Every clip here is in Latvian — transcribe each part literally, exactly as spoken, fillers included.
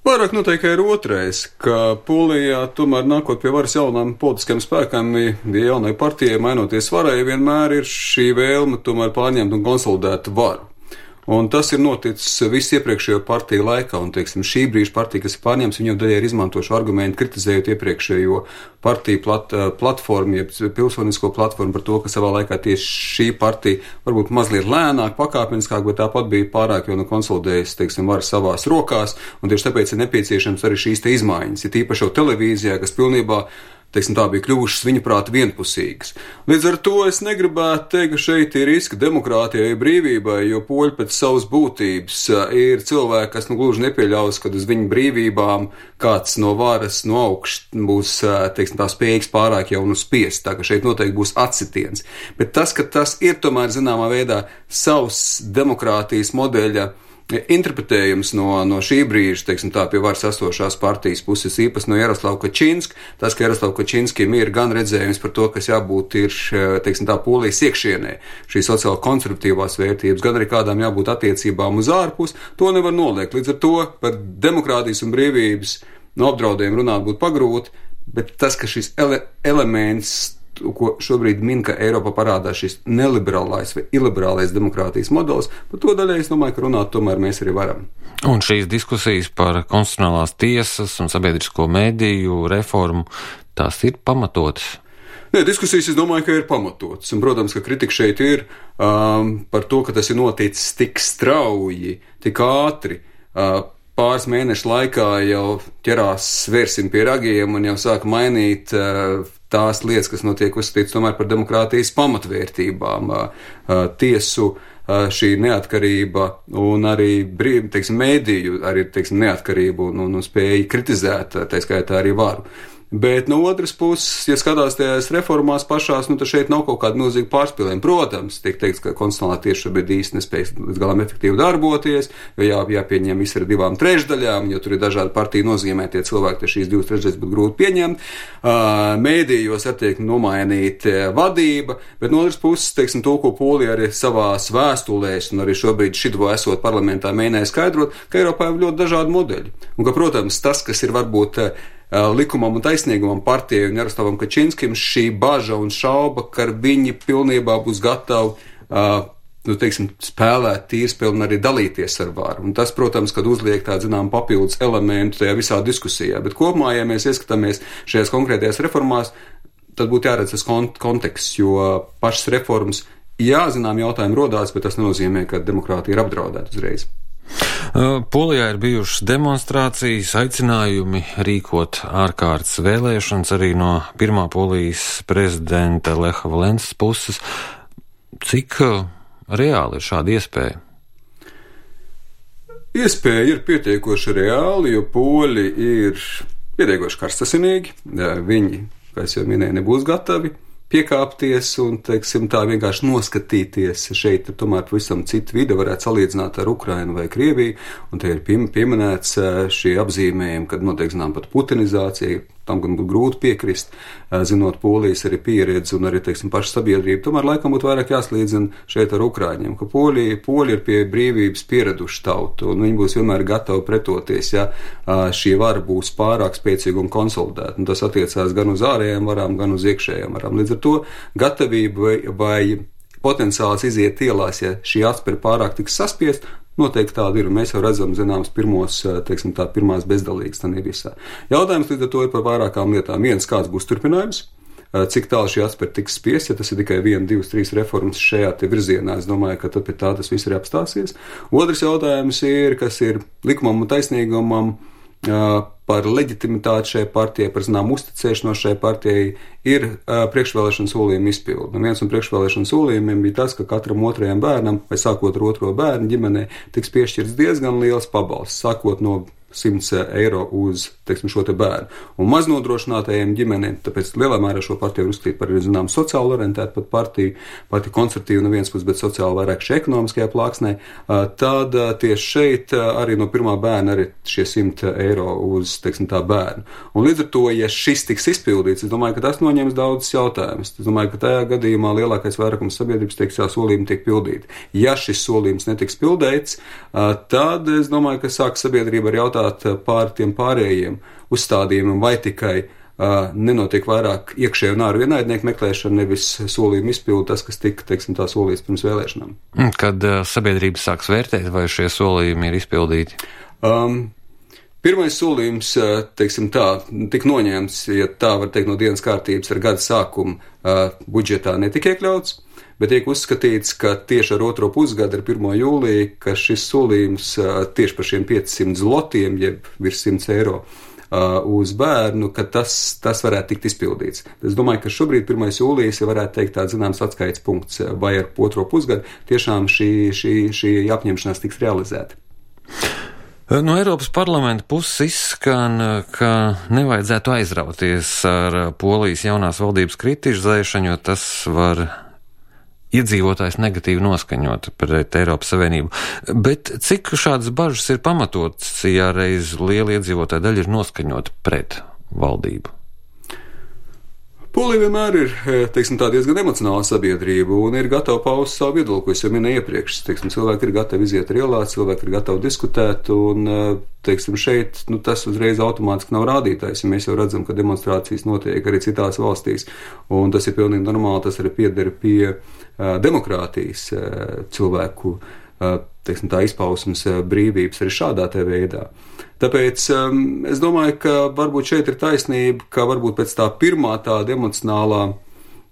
Vairāk noteikti ir otrais, ka Polijā tomēr nākot pie varas jaunām politiskajiem spēkām, ja jaunai partijai mainoties varai, vienmēr ir šī vēlme tomēr pārņemt un konsolidēt varu. Un tas ir noticis visu iepriekšējo partiju laikā, un, teiksim, šī brīža partija, kas ir pārņemts, viņam daļai ir izmantošu argumentu, kritizējot iepriekšējo partiju plat, platformu, jeb pilsonisko platformu par to, ka savā laikā tieši šī partija varbūt mazliet lēnāk, pakāpeniskāk, bet tāpat bija pārāk jau nu konsolidējusi, teiksim, varu savās rokās, un tieši tāpēc ir nepieciešams arī šīs te izmaiņas, ir tīpaši jau televīzijā, kas pilnībā teiksim, tā bija kļuvušas viņa prāta vienpusīgas. Līdz ar to es negribētu teikt, ka šeit ir riski demokrātijai, brīvībai, jo poļi pēc savas būtības ir cilvēki, kas nu gluži nepieļaus, kad uz viņu brīvībām kāds no varas, no augšas būs, teiksim, tā spējīgs pārāk jau nu spiest, tā ka šeit noteikti būs atsitiens. Bet tas, ka tas ir tomēr zināmā veidā savs demokrātijas modeļa interpretējums no, no šī brīža, teiksim tā, pie varas esošās partijas puses, īpaši no Jaroslava Kačinska, tas, ka Jaroslava Kačinskim ir gan redzējums par to, kas jābūt ir, teiksim tā, Polijas iekšienē, šī sociāli konservatīvās vērtības, gan arī kādām jābūt attiecībām uz ārpus, to nevar noliekt. Līdz ar to par demokrātijas un brīvības no apdraudējumu runāt būtu pagrūti, bet tas, ka šis ele- elements ko šobrīd min, ka Eiropā parādās šis neliberālais vai iliberālais demokrātijas modelis, par to daļai es domāju, ka runāt tomēr mēs arī varam. Un šīs diskusijas par konstitucionālās tiesas un sabiedrisko mediju reformu, tās ir pamatotas? Nē, diskusijas, es domāju, ka ir pamatotas. Un, protams, ka kritika šeit ir um, par to, ka tas ir noticis tik strauji, tik ātri, uh, pāris mēnešu laikā jau ķerās svērsim pie ragiem un jau sāk mainīt uh, tās lietas, kas notiek uzskatīts tomēr par demokrātijas pamatvērtībām, tiesu šī neatkarība un arī brīv, teiksim, mēdīju, arī, teiksim, neatkarību un, un, un spēju kritizēt, tā skaitā arī varu. Bet no otras puses, ja skatās tajās reformās pašās, nu, tad šeit nav kaut kāda milzīga pārspīlējuma. Protams, tiek teikts, ka konstitucionālā tiesa šobrīd īsti nespēj līdz galam efektīvi darboties, jo jā, jāpieņem viss ar divām trešdaļām, jo tur ir dažādi partiju nozīmētie cilvēki, tad šīs divas trešdaļas būtu grūti pieņemt. Mēdījos attiek nomainīt vadība, bet no otras puses, teiksim, to, ko Polija arī savās vēstulēs un arī šobrīd šito esot parlamentā mēģināja skaidrot, ka Eiropā ir ļoti dažādi modeļi. Un ka, protams, tas, kas ir varbūt likumam un taisnīgumam partijai un Jaroslavam Kačinskim, šī baža un šauba, ka viņi pilnībā būs gatavi, uh, nu, teiksim, spēlēt tīrspilni un arī dalīties ar varu. Un tas, protams, kad uzliek tādu, zinām, papildus elementu tajā visā diskusijā. Bet kopumā, ja mēs ieskatāmies šajās konkrētajās reformās, tad būtu jāredz tas kont- konteksts, jo pašas reformas, jā, zinām, jautājumi rodās, bet tas nenozīmē, ka demokrātija ir apdraudēta uzreiz. Polijā ir bijušas demonstrācijas, aicinājumi rīkot ārkārtas vēlēšanas arī no pirmā Polijas prezidenta Lecha Valensas puses. Cik reāli ir šāda iespēja? Iespēja ir pietiekoši reāli, jo poļi ir pietiekoši karstasinīgi. Viņi, kā es jau minēju, nebūs gatavi piekāpties un, teiksim, tā vienkārši noskatīties. Šeit tomēr pavisam citu vidi varētu salīdzināt ar Ukrainu vai Krieviju, un te ir pieminēts šie apzīmējumi, kad notiek, zinām, pat putinizācija, tam gan būtu grūti piekrist, zinot Polijas arī pieredzi un arī, teiksim, pašu sabiedrību. Tomēr laikam būtu vairāk jāslīdzina šeit ar Ukraiņiem, ka Poļi, Poļi ir pie brīvības pieraduši tautu, un viņi būs vienmēr gatavi pretoties, ja šī vara būs pārāk spēcīga un konsolidēta. Un tas attiecās gan uz ārējām varām, gan uz iekšējām varām. Līdz ar to gatavība vai, vai potenciāls iziet ielās, ja šī atspēra pārāk tiks saspiest, noteikti tāda ir, un mēs jau redzam, zināms, pirmos, teiksim tā, pirmās bezdalīgas tā visā. Jautājums līdz ar to ir par vairākām lietām. Viens, kāds būs turpinājums, cik tālu šī atspēra tiks spiest, ja tas ir tikai viena, divas, trīs reformas šajā te virzienā, es domāju, ka tad pie tā tas viss arī apstāsies. Otrs jautājums ir, kas ir likumam un taisnīgumam, par leģitimitāti šai partijai, par zinām uzticēšanos šai partijai, ir uh, priekšvēlēšana solījuma izpilde. Un viens no priekšvēlēšana solījumiem bija tas, ka katram otrajam bērnam, vai sākot ar otro bērnu ģimenē, tiks piešķirts diezgan liels pabalsts, sākot no simts eiro uz, teiksim, šo te bērnu. Un maznodrošinātajiem ģimenēm, tāpēc lielā mērā šo partiju var uzskatīt par, zinām, sociāli orientētu pat partiju, pati konservatīva no vienas puses, bet sociāli vairāk šī ekonomiskajā plāksnē, tad tieši šeit arī no pirmā bērna arī šie simt eiro uz, teiksim, tā bērnu. Un līdz ar to, ja šis tiks izpildīts, es domāju, ka tas noņems daudzas jautājumas. Es domāju, ka tajā gadījumā lielākais vairākums sabiedrības teiks, jā, solījumi tiek pildīti. Ja šis solījums netiks pildīts, tad es domāju, ka sāk sabiedrība ar jautājumu, pajautāt pār tiem pārējiem uzstādījumiem, vai tikai uh, nenotiek vairāk iekšēju un ārēju ienaidnieku meklēšana, nevis solījumu izpildu, tas, kas tika, teiksim, tā solīts pirms vēlēšanām. Kad uh, sabiedrība sāks vērtēt, vai šie solījumi ir izpildīti? Um, Pirmais solījums, teiksim tā, tika noņemts, ja tā var teikt, no dienas kārtības ar gada sākumu uh, budžetā netika iekļauts, bet tiek uzskatīts, ka tieši ar otro pusgadu, ar pirmo jūliju, ka šis solījums uh, tieši par šiem piecsimt zlotiem, jeb virs simts eiro uh, uz bērnu, ka tas, tas varētu tikt izpildīts. Es domāju, ka šobrīd pirmais jūlijas ja varētu teikt tāds zināms atskaites punkts, vai ar otro pusgadu tiešām šī, šī, šī apņemšanās tiks realizēta. No Eiropas parlamenta puses izskan, ka nevajadzētu aizrauties ar Polijas jaunās valdības kritizēšanu, jo tas var iedzīvotājs negatīvi noskaņot pret Eiropas Savienību. Bet cik šādas bažas ir pamatotas, ja reiz liela iedzīvotāja daļa ir noskaņota pret valdību? Polija vienmēr ir, teiksim, tā diezgan emocionāla sabiedrība un ir gatava paust savu viedokli, ko es jau minēju iepriekš. Teiksim, cilvēki ir gatavi iziet rielā, cilvēki ir gatavi diskutēt un, teiksim, šeit, nu, tas uzreiz automātiski nav rādītājs, ja mēs jau redzam, ka demonstrācijas notiek arī citās valstīs un tas ir pilnīgi normāli, tas arī pieder pie uh, demokrātijas uh, cilvēku, uh, teiksim, tā izpausmes uh, brīvības arī šādā te veidā. Tāpēc um, es domāju, ka varbūt šeit ir taisnība, ka varbūt pēc tā pirmā tāda emocionālā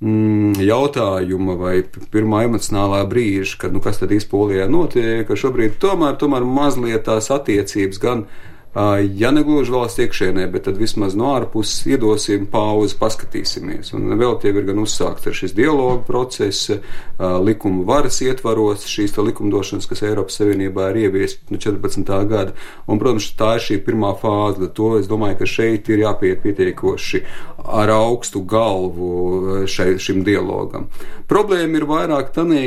mm, jautājuma vai pirmā emocionālā brīža, kad nu kas tad īsti Polijā notiek, ka šobrīd tomēr, tomēr mazliet tās attiecības gan, uh, ja negluži valsts iekšēnē, bet tad vismaz no ārpuses iedosim pauzi, paskatīsimies. Un vēl tie ir gan uzsākts ar šis dialogu process, uh, likuma varas ietvaros, šīs tā likumdošanas, kas Eiropas Savienībā ir ieviest no četrpadsmitā gada. Un, protams, tā ir šī pirmā fāze, to es domāju, ka šeit ir jāpiet pietiekoši ar augstu galvu šai, šim dialogam. Problēma ir vairāk tanī,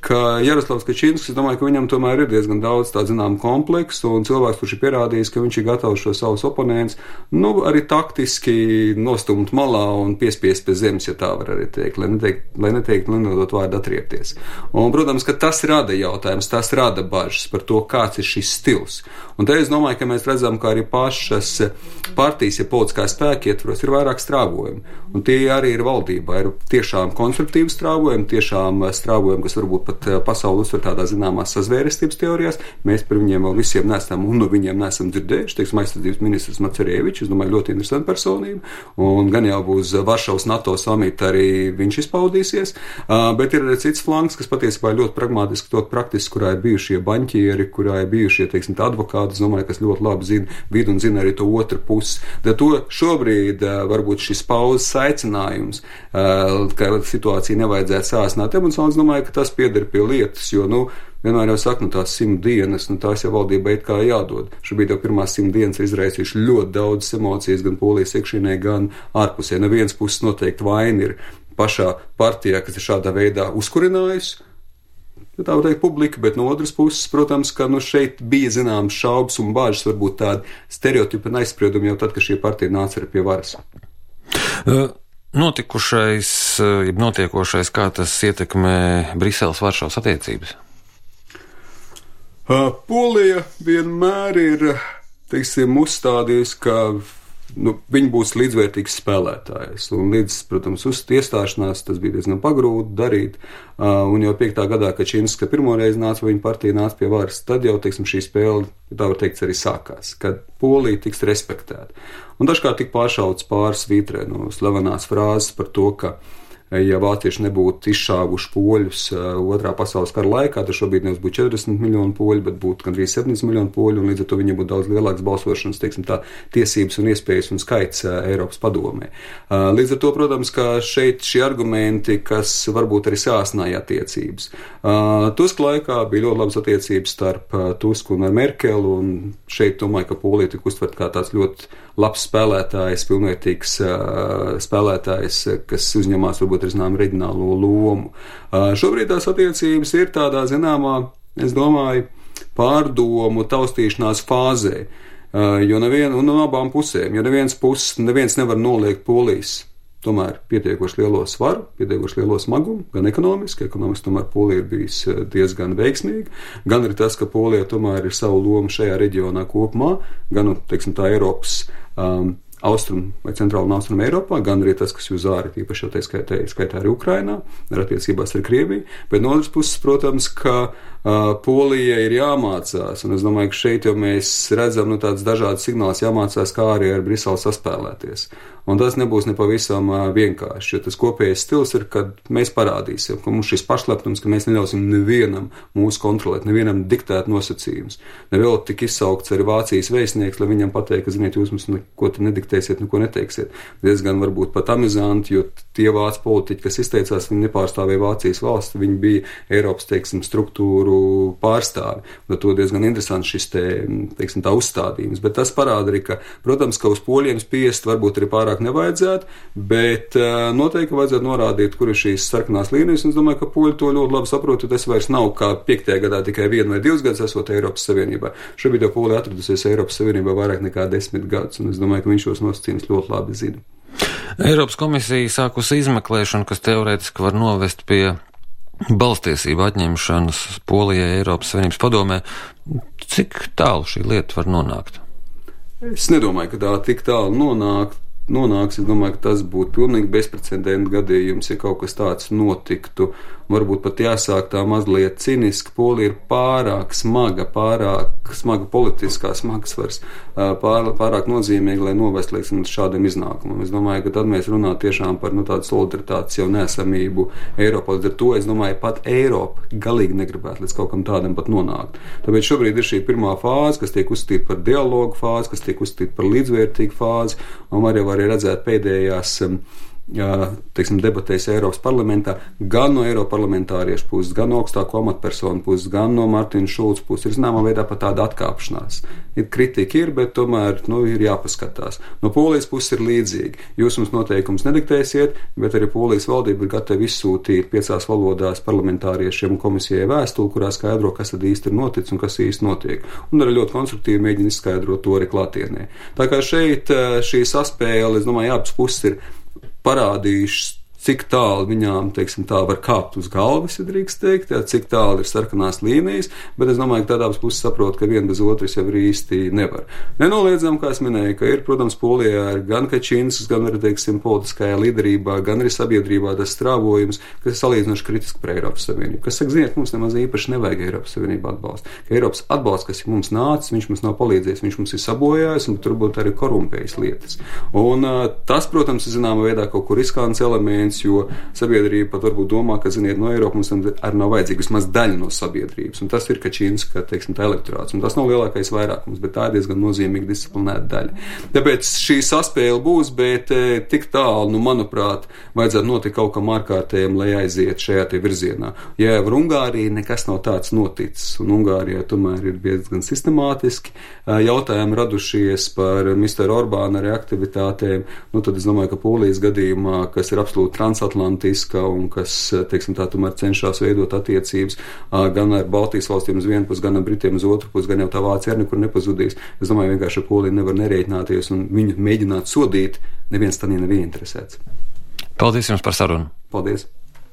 ka Jaroslavs Kačinskis, es domāju, ka viņam tomēr ir diezgan daudz tā zinām kompleksu, un cilvēks, kurš ir pierādījis, ka viņš ir gatavs šo savus oponents, nu, arī taktiski nostumt malā un piespiest pie zemes, ja tā var arī teikt, lai neteikt, lai neteikt, nenodot vārdu atriepties. Un, protams, ka tas rada jautājums, tas rada bažas par to, kāds ir šis stils. Un te es domāju, ka mēs redzam, ka arī pašas partijas, ja politiskā spēka ietvaros, ir vairāk strāvojumi. Un tie arī ir valdībā, ir tiešām konstruktīvi strāvojumi, tiešām strāvojumi, kas varbūt pat pasauli uztver tādā zināmās sazvērestības teorijās. Mēs par viņiem vēl visiem nesam, un no viņiem nesam dzirdējuši. Teiksim, aizsardzības ministrs Macerievičs, es domāju, ļoti interesanta personība, un gan jau būs Varšavas NATO samita arī viņš izpaudīsies, bet ir arī cits flanks, kas patiesībā ir ļoti pragmātiski, ļoti praktiski, kurā ir bijušie baņķieri, kurā ir bijušie, teiksim, advokāti, es domāju, kas ļoti labi zina vidu un zina arī to otru pusi. Da to šobrīd varbūt šis pauzes aicinājums, ka situācija nevajadzētu sāsināt emocionāli, es domāju, ka tas pieder pie lietas, jo, nu, vienmēr jau saka, nu, tās simt dienas, nu, tās jau valdībai it kā jādod. Šobrīd jau pirmās simt dienas ir izraisījuši ļoti daudz emocijas, gan Polijas iekšienē, gan ārpusē. No vienas puses noteikti vaina ir pašā partijā, kas ir šādā veidā uzkurinājusi, tā var teikt publika, bet no otras puses, protams, ka, nu, šeit bija zināms šaubas un bāžas, varbūt tādi stereotipi un aizspriedumi jau tad, kad šī partija nāca arī pie varas. Uh. Notikušais, jeb notiekošais, kā tas ietekmē Briseles-Varšavas attiecības? Polija vienmēr ir, teiksim, uzstādījusi, ka nu, viņi būs līdzvērtīgs spēlētājs. Un līdz, protams, uz iestāšanās tas bija diezgan pagrūti darīt. Un jau piektā gadā, kad Kačinska pirmoreiz nāca, viņa partija nāca pie varas, tad jau, teiksim, šī spēle, tā var teikt, arī sākās, kad Polija tiks respektēta. Un dažkārt tik pāršauts pāris vītrē no slavenās frāzes par to, ka ja vācieši nebūtu izšāvuši poļus otrā pasaules kara laikā, tad šobrīd nevis būtu četrdesmit miljonu poļu, bet būtu gandrīz septiņdesmit miljonu poļu, un līdz ar to viņiem būtu daudz lielāks balsošanas, teiksim tā, tiesības un iespējas un skaits Eiropas padomē. Līdz ar to, protams, ka šeit šie argumenti, kas varbūt arī sāsināja attiecības. Tuska laikā bija ļoti labas attiecības starp Tusku un Merkelu, un šeit domāju, ka Polija tika uztvert kā tāds ļoti labs spēlētājs, pilnvērtīgs spēlētājs, kas uzņemās varbūt ar zinām reģionālo lomu. Šobrīd tās attiecības ir tādā zināmā, es domāju, pārdomu taustīšanās fāzē, jo nevien, un no abām pusēm, jo neviens puses, neviens nevar noliegt Polijas tomēr pietiekoši lielo svaru, pietiekoši lielo smagumu, gan ekonomiski, ekonomiski tomēr Polija ir bijis diezgan veiksmīga, gan arī tas, ka Polija tomēr ir savu lomu šajā reģionā kopumā, gan, teiksim, tā Eiropas um, Austrum vai centrāla un austrum Eiropā, gan arī tas, kas jūs āri, īpaši jau te skaitā, skaitā arī Ukrainā, ar attiecībās ar Krieviju, bet no otras puses, protams, ka uh, Polija ir jāmācās, un es domāju, ka šeit jau mēs redzam, nu, tāds dažādas signāls jāmācās, kā arī ar Briseli saspēlēties. Un tas nebūs nepavisam uh, vienkārši, jo tas kopējais stils ir, kad mēs parādīsim, ka mums šis pašlepnums, ka mēs neļausim nevienam mūs kontrolēt, nevienam diktēt nosacījumus. Nevēl tik izsaukts arī Vācijas vēstnieks, lai viņam pateikt, ka, ziniet, jūs mums neko te nediktēsiet, neko neteiksiet. Diezgan varbūt pat amizanti, jo tie vācu politiķi, kas izteicās, viņi nepārstāvēja Vācijas valsti, viņi bija Eiropas, teiksim, struktūru pārstāvi. Un to diezgan interesants šis te, teiksim, tā uzstādījums. Bet tas parāda arī, ka, protams, ka uz poļiem spiest varbūt arī pārāk nevajadzētu, bet uh, noteikti vajadzētu norādīt, kur ir šīs sarkanās līnijas, un es domāju, ka poļi to ļoti labi saprot, jo tas vairs nav kā piektajā gadā tikai vienu vai divus gadus esot Eiropas Savienībā. Šobrīd jau Polija atradusies Eiropas Savienībā vairāk nekā desmit gadus, un es domāju, ka viņš šos nosacījumus ļoti labi zina. Eiropas komisija sākusi izmeklēšanu, kas teorētiski var novest pie balstiesību atņemšanas Polijai Eiropas Savienības padomē. Cik tālu šī lieta var nonākt? Es nedomāju, ka tā tik tālu nonākt. nonāks, es domāju, ka tas būtu pilnīgi bezprecedenta gadījums, ja kaut kas tāds notiktu. Varbūt pat jāsāk tā mazliet ciniski. Polija ir pārāk smaga, pārāk smaga politiskā smagsvars, pār, pārāk nozīmīga, lai novest, lieksim, šādam iznākumam. Es domāju, ka tad mēs runātu tiešām par, nu, tādu solidaritātes jau nesamību Eiropā. Līdz ar to, es domāju, pat Eiropa galīgi negribētu līdz kaut kam tādam pat nonākt. Tāpēc šobrīd ir šī pirmā fāze, kas tiek uzskatīta par dialogu fāzi, kas tiek uzskatīta par līdzvērtīgu fāzi, un var jau arī redzēt pēdējās Jā, teiksim, debatēs Eiropas parlamentā, gan no Eiropas parlamentāriešu puses, gan no augstāko amatpersonu puses, gan no Martina Šulca puses, ir zināmā veidā pat tāda atkāpšanās. Ir kritika ir, bet tomēr, nu, ir jāpaskatās. No Polijas puses ir līdzīgi. Jūs mums noteikums nediktēsiet, bet arī Polijas valdība ir gatava izsūtīt piecās valodās parlamentāriešiem un komisijai vēstuli, kurā skaidro, kas tad īsti ir noticis un kas īsti notiek. Un arī ļoti konstruktīvi mēģina izskaidrot to arī klātienē. Tā kā šeit šī saspēle, es domāju, abas puses ir parādījušas, cik tālu viņām, teiksim, tā var kāpt uz galvas, ja drīkst teikt, jā, cik tālu ir sarkanās līnijas, bet es domāju, ka tādās puses saprot, ka viena bez otras jau ir īsti nevar. Nenoliedzam, kā es minēju, ka ir, protams, Polijā ir gan Kačinskas, gan arī, teiksim, politiskajā līderībā, gan arī sabiedrībā tas strāvojums, kas ir salīdzinoši kritiski par Eiropas Savienību. Kas saka, ziniet, mums nemaz īpaši nevajag Eiropas Savienību atbalstu. Ka Eiropas atbalsts, kas ir mums nācis, viņš mums nav palīdzējis, viņš mums ir sabojājis un turbūt arī korumpējis lietas. Un tas, protams, ir zināmā veidā kaut kur riskants elements, jo sabiedrība pat varbūt domā, ka, ziniet, no Eiropas mums arī nav vajadzīga vismaz daļa no sabiedrības, un tas ir Kačinska, teiksim, tā elektorāts, un tas nav lielākais vairākums, bet tā ir diezgan nozīmīga disciplinēta daļa. Tāpēc šī saspēle būs, bet e, tik tālu, nu, manuprāt, vajadzētu notikt kaut kam ārkārtējam, lai aiziet šajā te virzienā. Ja ar Ungāriju nekas nav tāds noticis, un Ungārijā tomēr ir diezgan sistemātiski jautājumi radušies par misteru Orbāna arī aktivitātēm, nu, tad es domāju, ka Polijas gadījumā, kas ir absolūti transatlantiska un kas, teiksim, tā tomēr cenšas veidot attiecības gan ar Baltijas valstīm uz vienu pusi, gan ar Britiem uz otru pusi, gan jau tā Vācija arī nekur nepazudīs. Es domāju, vienkārši ar Poliju nevar nerēķināties un viņu mēģināt sodīt, neviens tanī nav ieinteresēts. Paldies jums par sarunu. Paldies.